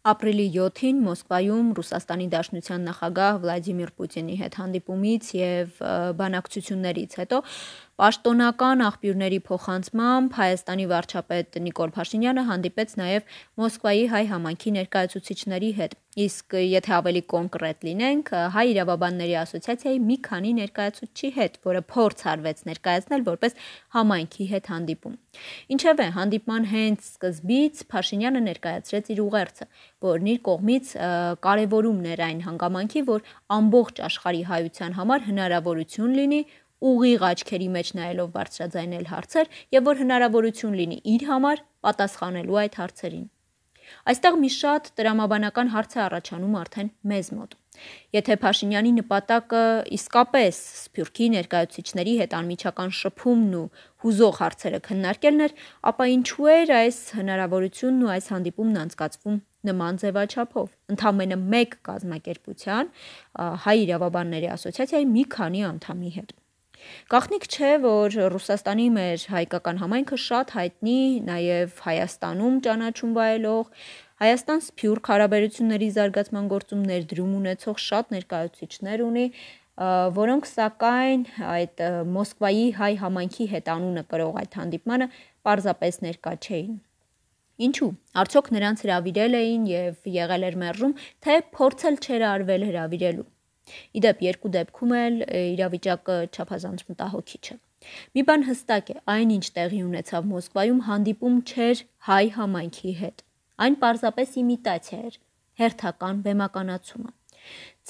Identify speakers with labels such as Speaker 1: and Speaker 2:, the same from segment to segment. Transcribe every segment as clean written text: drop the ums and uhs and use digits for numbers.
Speaker 1: Ապրիլի 7-ին Մոսկվայում Ռուսաստանի Դաշնության նախագահ Վլադիմիր Պուտինի հետ հանդիպումից և բանակցություններից հետո պաշտոնական աղբյուրների փոխանցմամբ Հայաստանի վարչապետ Նիկոլ Փաշինյանը հանդիպեց նաև Մոսկվայի հայ համայնքի ներկայացուցիչների հետ, իսկ եթե ավելի կոնկրետ լինենք, Հայ իրավաբանների ասոցիացիայի մի քանի ներկայացուցչի հետ, որը փորձ արվեց ներկայացնել որպես համայնքի հետ հանդիպում։ Ինչևէ, հանդիպման հենց սկզբից Փաշինյանը ներկայացրեց իր ուղերձը, որն իր կողմից կարևորումն էր այն հանգամանքի, որ ամբողջ աշխարհի հայության համար հնարավորություն լինի ուղիղ աչքերի մեջ նայելով բարձրաձայնել հարցեր և որ հնարավորություն լինի իր համար պատասխանելու այդ հարցերին։ Այստեղ մի շատ տրամաբանական հարց է առաջանում արդեն մեզ մոտ։ Եթե Փաշինյանի նպատակը իսկապես Սփյուռքի ներկայացուցիչների հետ անմիջական շփումն ու հուզող հարցերը քննարկելն էր, ապա ինչու էր այս հնարավորությունն ու այս հանդիպումն անցկացվում նման ձևաչափով, ընդամենը մեկ կազմակերպության, Հայ իրավաբանների ասոցիացիայի մի քանի անդամի հետ։ Գաղտնիք չէ, որ Ռուսաստանի մեր հայկական համայնքը շատ հայտնի նաև Հայաստանում ճանաչում վայելող, Հայաստան-Սփյուռք հարաբերությունների զարգացման գործում ներդրում ունեցող շատ ներկայացուցիչներ ունի, որոնք սակայն այդ Մոսկվայի հայ համայնքի հետ անունը կրող այդ հանդիպմանը պարզապես ներկա չէին։ Ինչու՞։ Արդյոք նրանց հրավիրել էին և եղել էր մերժում, թե փորձել չէր արվել հրավիրելու։ Իդեպ երկու դեպքում էլ իրավիճակը չափազանց մտահոգիչ է։ Մի բան հստակ է, այնինչ տեղի ունեցավ Մոսկվայում հանդիպում չէր հայ համայնքի հետ։ Այն պարզապես իմիտացիա էր, հերթական բեմականացումը։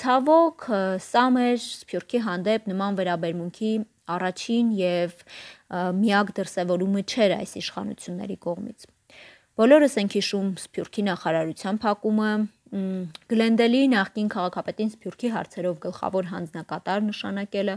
Speaker 1: Ցավոք, սա մեր Սփյուռքի հանդեպ նման վերաբերմունքի առաջին և միակ դրսևորումը չէր այս իշխանությունների կողմից։ Բոլորս ենք հիշում Սփյուռքի նախարարության փակումը, Գլենդելի նախկին քաղաքապետին Սփյուռքի հարցերով գլխավոր հանձնակատար նշանակելը,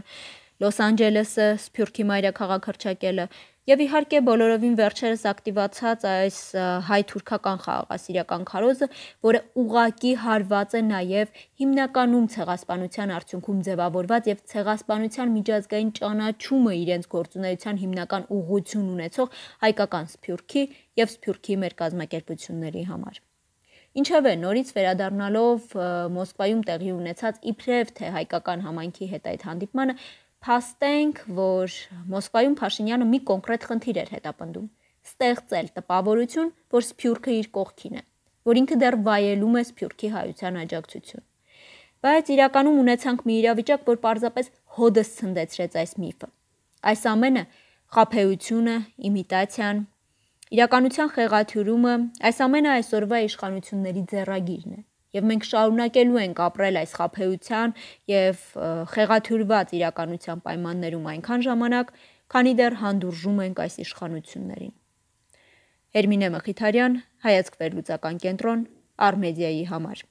Speaker 1: Լոս Անջելեսը Սփյուռքի մայրաքաղաք հռչակելը և իհարկե բոլորովին վերջերս ակտիվացած այս հայ-թուրքական խաղաղասիրական քարոզը, որը ուղղակի հարված է նաև հիմնականում ցեղասպանության արդյունքում ձևավորված և ցեղասպանության միջազգային ճանաչումը իրենց գործունեության հիմնական ուղղություն ունեցող հայկական Սփյուռքի և Սփյուռքի մեր կազմակերպությունների համար։ Ինչևէ, նորից վերադառնալով Մոսկվայում տեղի ունեցած իբրև թե հայկական համայնքի հետ այդ հանդիպմանը, փաստենք, որ Մոսկվայում Փաշինյանը մի կոնկրետ խնդիր էր հետապնդում՝ ստեղծել տպավորություն, որ Սփյուռքը իր կողքին է, որ ինքը դեռ վայելում է Սփյուռքի հայության աջակցություն։ Բայց իրականում ունեցանք մի իրավիճակ, որ պարզապես հօդս ցնդեցրեց այս միֆը։ Այս ամենը, խաբեությունը, իմիտացիան, իրականության խեղաթյուրումը, այս ամենը այսօրվա իշխանությունների ձեռագիրն է, և մենք շարունակելու ենք ապրել այս խաբեության և խեղաթյուրված իրականության պայմաններում այնքան ժամանակ, քանի դեռ հանդուրժում ենք այս իշխանություններին։ Հերմինե Մխիթարյան, Հայացք վերլուծական կենտրոն, Առ Մեդիայի համար։